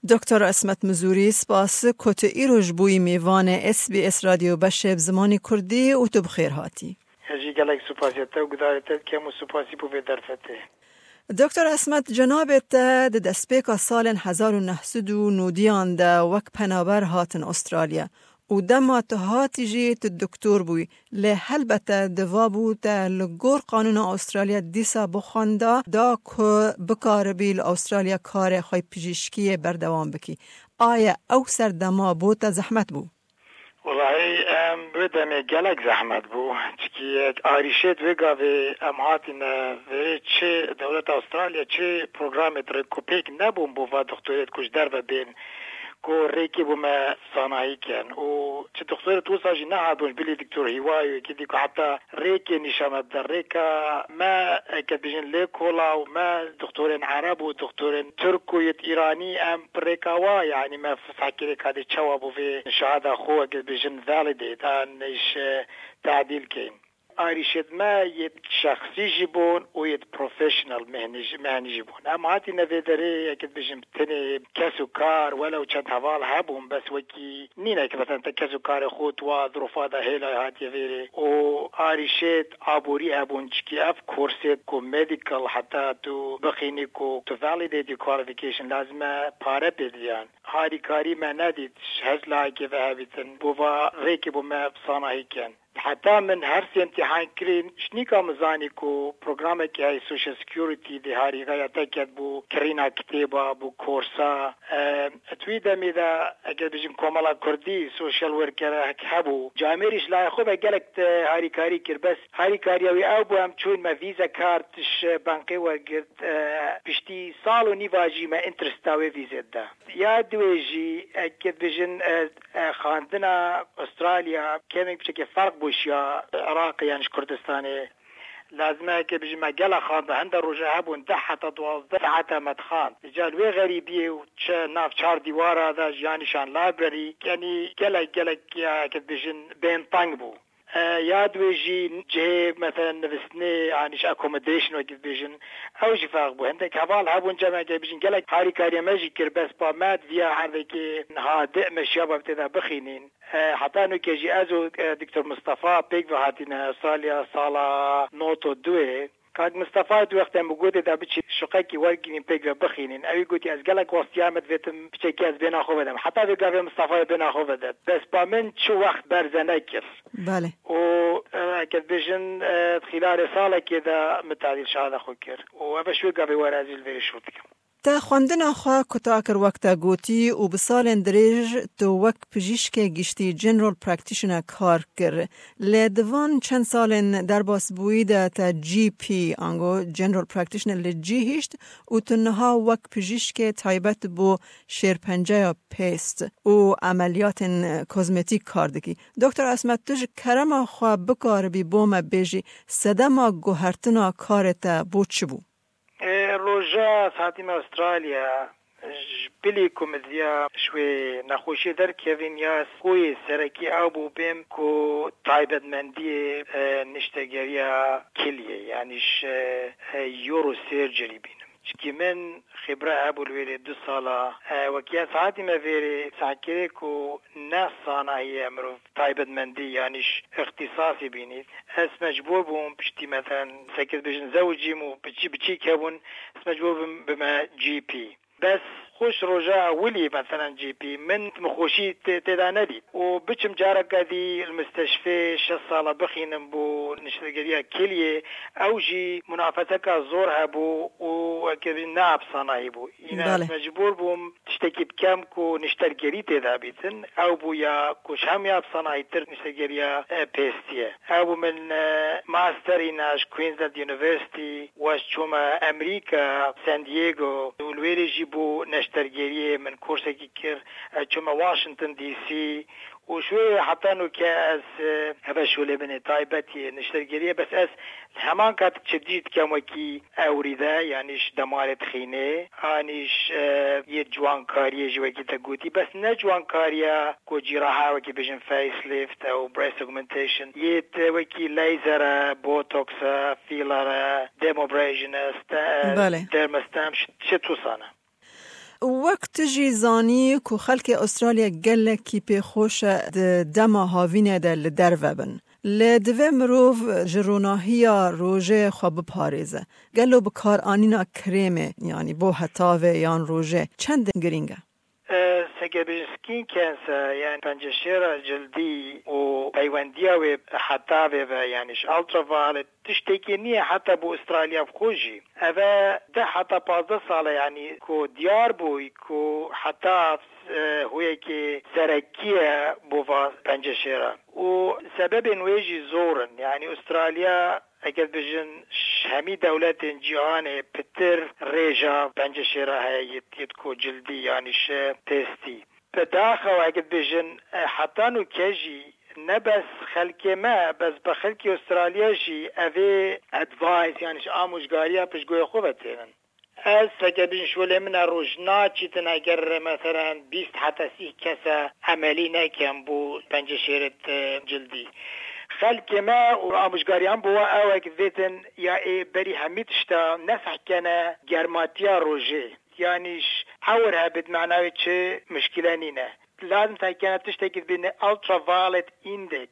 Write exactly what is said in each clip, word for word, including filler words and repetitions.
Doktor Esmet Mizûrî, spas ku tu îro ji bo yî mêvanê S B S Radyo Beşê bi zimanê Kurdî û tu bi xêr hatî. Ez jî gelek supasiya te û gudarê te dikem û supasî bo vê derfetê. Doktor Esmet, cenabê te di destpêka salên hezar û neh sed û nodiyan de wek penaber hatin Australya û dema tu hatî jî tu doktor bûyî. Lê helbete diva bû te li gor qanûna Australya dîsa bixwenda da ku bikaribî li Australya karê xwe pijîşkiyê berdewam bikî. Aye ew serdema bo te zehmet bû? Welahi, em, wê demê gelek zehmet bû. Çikî arîşêt wê gavê em hatine vê çi dewleta Australya, çi programê rêkopêk nebûn bo va doktorêt ku ji derve bên, ku rêkê bo me sanahî ken. Û çi doktorêt wisa jî nehatibûn, bilî doktor Hîwayo, yekî dî ku heta rêkê nîşa me bide. Rêka me, eke bijin lê kola û me doktorên Ereb û doktorên Tirk û yêt Îranî, em bi rêka wa, yanî me fekirê kadê çawa bo vê şahada xwe, eke bijin validate, an iş, e, tadîl keyn. Arîşêt me yêt şexsî jî bûn û yêt professional mehnî jî, mehnî jî bûn. Em hatîne vê derê, yekê dibêjin, bi tenê kes û kar, welew çend heval hebûn, bes wekî nîne ki, mesela, te kes û karê xwe tu wa zirofa de hêla hatiye vêrê. Û arîşêt aborî hebûn, çikî ev kursêt ku medical heta tu bixînî, ku tu validate your qualification, lazim e pare pê diyan. Harîkarî me nedît, ji her layekê ve hebîtin. Bo va rêkê bo me sanahî ken. Heta min her sê imtîhan kirîn, ji nîka min zanî ku programekî heye Social Security dê harîgaya te ket bo kirîna kitêba, bo korsa. E, di wî demê de, eger bijin komela Kurdî, social worker hebû. Camêrî ji laya xwe ve gelek te harîkarî kir, bes harîkariya wî ew bû, em çûn me vîze kart ji bankê wergirt, e, piştî sal û nîva jî me interesta wê vîzê dide. Ya duwê jî, e, ke dibêjin, e, e, xwendina Australya kêmek piçekê ferq bû ji ya Iraqê yan ji Kurdistanê. Lazim e ke bijî me gela xwenda, hinde roja hebûn deh heta duwazdeh saeta me dixwend. Îca li wê xerîbiyê û çi nav çar dîwara de, yanî şan library, yanî gelek, gelek, ya ke dibêjin bên teng bû. E, ya duwê jî cihê, meselen, nivîstinê, anî ji accommodation wekî dibêjin, ew jî ferq bû. Hindek heval hebûn cem, eke bijin gelek harîkariya me jî kir, bes pa me diviya herdekê niha di me şiya ba tê de bixînîn. E, heta nûke jî ez û, e, Doktor Mistefa pêk ve hatîne Australya sala nod û duê. Kak Mistefa di wextê min gotê de biçî şuqekî wergirîn pêk ve bixînîn. Ewî gotî, ez gelek westiyar me divêtim piçekî ez bêna xwe vedim. Heta vê gavê Mistefayê bêna xwe vedet. Bes pa min çi wext berze nekir. Belê. Û, e, eke dibêjin, e, di xîlarê salekê de min tadîl şahada xwe kir. Û ev e ji wê gavê were ez jî li vêrê şûr dikim. Te xwendina xwe kuta kir, wek te gotî, û bi salên dirêj tu wek pijîşkê giştî, general practitioner, kar kir. Lê di van çend salên derbasbûyî de te G P, ango general practitioner, li cî hişt û tu niha wek pijîşkê taybet bo şêrpenceya pêst û emeliyatên kozmetîk kar dikî. Doktor Esmet, tu ji kerema xwe bikaribî bo me bêjî, sedema guhertina karê te bo çi bû? E, roja ez hatîme Australya, ji bilî ku min diya ji wê nexweşiyê derkevin, ya xweyê serekî ew bû bêm ku taybetmendiyê, e, niştegeriya kiliyê, yanî ji, e, urosurgery bînim. Çikî min xibra hebû li wêrê du sala, e, wekî ez hatîme vêrê, sehkirê ku ne sanahiyê mirov taybetmendî, yanî ji îxtîsasî bînît. Ez mecbûr bûm piştî, meselen, seke dibêjin zewicîm û biçî-, biçîk hebûn, ez mecbûr bûm bime G P. Bes xweş roja ewilî, meselen, G P, min, min xweşî tê-, tê de nedît. Û biçim careke dî li misteşfê şeş sala bixînim bo niştegeriya kiliyê, ew jî munafeseka zor hebû û wekî ne bi sanahî bû. Îna Belê. ez mecbûr bûm tiştekî bikem ku niştergerî tê de bîtin. Ew bû ya ku ji hemûya bi sanahîtir niştegeriya, e, pêstî ye. Ew bû min, e, master îna ji Queensland University, we ji çûme Emerîka, San Diego, û li wêrê jî bû neştergeriyê min kursekî kir. Ez çûme Washington D C û ji wê heta nûke ez, e, heve şolê min ê taybetî niştergeriyê, bes ez li heman kat çi dî dikem wekî ewrî de, yanî ji demarê dixînê, anî ji, e, yê ciwankariyê jî wekî te gotî, bes ne ciwankariya ku cîraha wekî bijin facelift ew breast augmentation, yê te wekî laser e, botox e, filler e, dermabrasion e, ste-, e, Belê. dermastem, şi-, şi tusan e. Wek tu jî zanî ku xelkê Astralya gelekî pê xweş e di dema havînê de li derve bin. Lê divê mirov ji ronahiya rojê xwe biparêze. Gelo bikaranîna krêmê, yanî bo hetavê yan rojê, çendin girîng e? E, seke bêjin skin cancer, yani penceşêra cildî û peywendiya wê hetavê ve, yani ji ultraviolet, tiştekî niye heta bo Astralya bi xwe jî. Ev e deh heta pazdeh sal e, yani ku diyar bû ku hetav, e, huyekê serekî ye bo va penceşêra. Û sebebên wê jî zor in. Yani Astralya, eger bijin, ji hemî dewletên cîhanê pitir rêja penceşêra heye yê, yê ku cildî, yani ji testî. Bi daxewa, eger bijin, e, heta nûke jî ne bes xelkê me, bes bi xelkê Astralya jî evê advice, yani ji amûjgariya piştgoyê xwe ve tênin. Ez, heke bijin, şolê min e, roj naçîtin eger, meselen, bîst heta sî kese emelî nekem bo penceşêrê, e, cildî. Xelkê me û amûjgariyan bo we ew e, vêtin ya ê berî hemî tişta nesehkene germatiya rojê. Yani ji ewr hebit, manayê çi, muşkile nîne. Lazim te kene tiştekî dibîne ultraviolet index.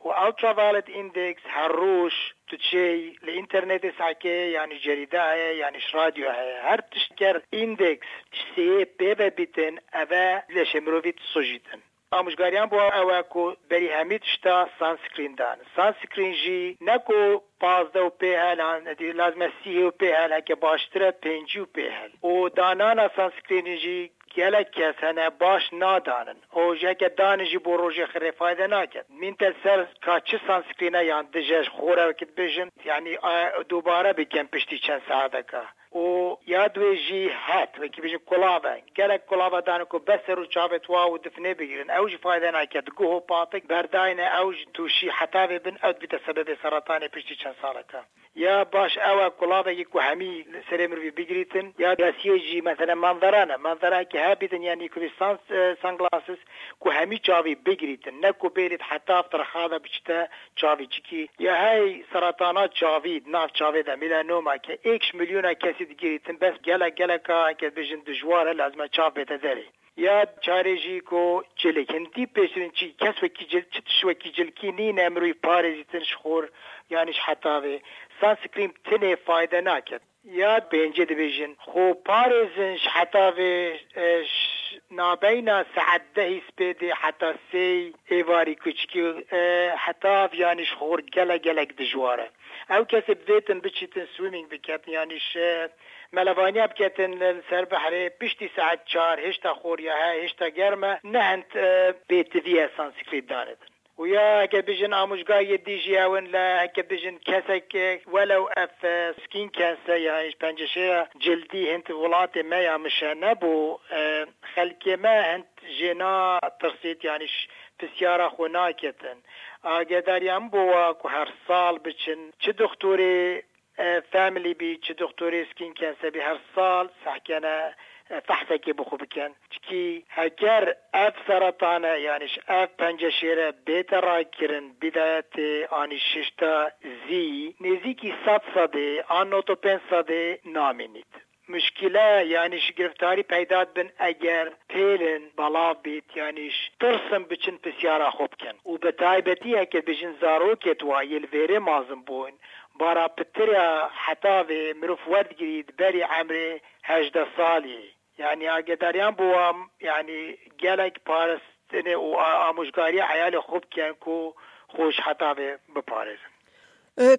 Û ultraviolet index her roj tu çêy li înternetê sehkê, yani cerîde heye, yani ji radyo heye. Her tişt ger index ji sêyê pê ve bîtin, eve leşê mirovî disujîtin. Amûjgariyan bo ew e ku berî hemî tişta sunscreen dan. Sunscreen jî ne ku pazdeh û pê hel, han, lazim e sî û pê hel, heke baştir e pêncî û pê hel. Û danana sunscreenê jî gelek kes hene baş nadanin. Û ji heke danin jî bo rojê xirê fayde naket. Min te ser ka çi sunscreen e yan dije ji xwe re wekî dibêjin, yani, e, dubare bikin piştî çend saeteka. Û ya duê jî het, wekî bêjin kulave. Gelek kulave dane ku bes ser û çavê tu wa û difnê bigrin. Ew jî fayde nake. Di guh û patik berdayne, ew jî tûşî hetavê bin, ew dibite sebebê seratanê piştî çend saleka. Ya baş ew e kulavekî ku hemî li serê mirovî bigirîtin, ya desiyê jî, meselen, manzara ne. Manzarayekî hebîtin, yanî ku sun-, e, sunglasses ku hemî çavî bigirîtin. Ne ku bêrît heta tirxa de biçite çavî çikî. Ya hey seratana çavî, di nav çavê de, melanoma, ke êk ji milyona kesî digirîtin, bes gelek, geleka, heke bijin, dijwar e, lazim e çav bête derê. Ya çarê jî ku cilik, hindî pêştirîn çi, kes wekî cil-, çi tişt wekî cilkî nîne, mirov parêzîtin ji xor, yanî ji hetavê. Sunscreen tinê fayde naket. Ya pêncê dibêjin, xwe parêzin ji hetavê, e, ji nabeyna saet dehî spêdê heta sêy êvarî kuçikî, e, hetav, yanî ji xor gelek, gelek dijwar e. Ew kesê bivêtin biçîtin swimming biketin, yanî ji melevaniya biketin li ser behrê, piştî saet çar, hêşta xor ya he, hêşta germ e, ne hind, e, bêtivî ye sunscreen danidin. Û ya heke bijin amûjgariyê dî jî ew in, le heke bijin kesek, e, welew ev, e, skin cancer, yanî penceşêra cildî hind welatê me ya mişe nebû, e, xelkê me hind jê natirsît, yanî ji pisyara xwe naketin. Agedariya min bo wa ku her sal biçin, çi doktorê, e, family bî, çi doktorê skin cancer bî, her sal sehkene, e, fehsekê bi xwe bikin. Çikî heger ev seratane, yanî ji ev penceşêre bête rakirin, bidayetê anî şişta zî, nêzîkî sed sedê an nod û pênc sedê namînît. Muşkile, yanî ji giriftarî peyda dibin eger pêlin belav bît, yanî ji tirsin biçin pisyara xwe bikin. Û bi taybetî heke bijin zarokê tu wa yê li vêrê mazin bûn, bara pitir ya hetavê mirov werdigirît berî emrê hejdeh salî. Yanî agedariyan bo wan, yanî gelek parastinê û a-, amûjgariya eyalê xwe bikin ku xwe ji hetavê biparêzin.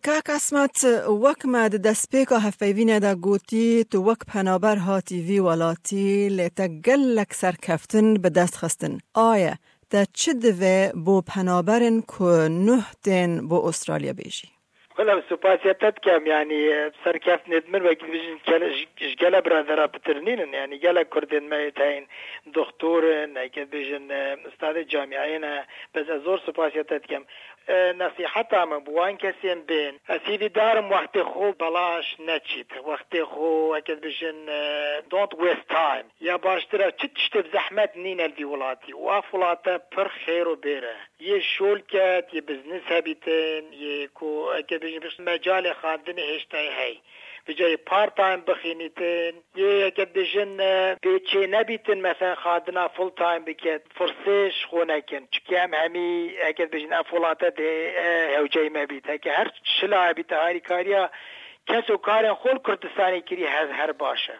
Kak Esmet, wek me di destpêka hevpeyvînê de gotî, tu wek penaber hatî vî welatî, lê te gelek serkeftin bi dest xistin. Aye, te çi divê bo penaberên ku nuh tên bo Ostralya bêjî? Wela, supasiya te dikem, yanî, serkeftinê di min wekî dibêjin, gele, ji, ji gele biradera pitir nînin, yanî, gelek kurdên me yê te heyîn, doktor in, heke dibêjin, e, ustadê camiyayê ne, bes ez zor supasiya te dikem. E, nesîheta min bi wan kesên bên, ez hîvîdar im wextê xwe belaş neçît. Wextê xwe, heke dibêjin, e, don't waste time. Ya baştir e, çi tiştê bi zehmet nîne li vî welatî û ev welat e pir xêr û bêr e. Yê şolket, yê biznes hebîtin, yê ku, heke bêjin, mecalê xwendinê hêştayê hey. Bi cayê part-time bixînîtin, yê heke dibêjin, e, bê çê nebîtin, mesela xwendina full-time biket, firsê ji xwe nekin. Çikî em hemî, heke dibêjin, ev welate dê, e, hewceyî me bît. Heke her çi layê bîte harîkariya kes û karên xwe li Kurdistanê kirî her, her baş e.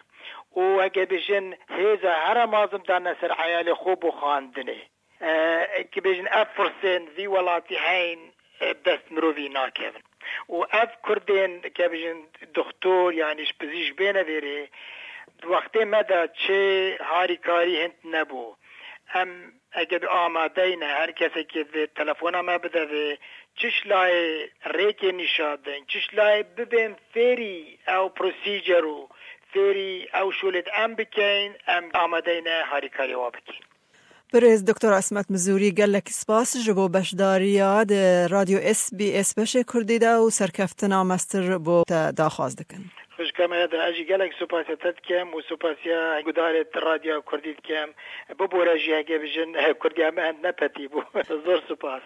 Û heke bêjin hêza here mezin dane ser eyalê xwe bo xwendinê. E, ki bêjin ev firsên vî welatî heyn, e, dest mirovî nakevin. Û ev Kurdên, ke bêjin doktor, yanî ji pizîşk bêne vêrê, di wextê me de çi harîkarî hind nebû. Em ege bi amadeyne, her kesekê vê telefona me bide vê, çi ji layê rêkê nîşa din, çi ji layê bibên fêrî ew procedure û fêrî ew şolê em bikeyn, em amadeyne harîkariya wan bikeyn. Birêz Doktor Esmet Mizûrî, gelek spas ji bo beşdariya di Radyo S B S beşê Kurdî de û serkeftina mestir bo te daxwaz dikin. Xwişka me de ez jî gelek supasiya te dikim û supasiya gudarê Radyo Kurdî dikim. Bibore jî heke bijin Kurdiya me hind nepetî bû. Zor supas.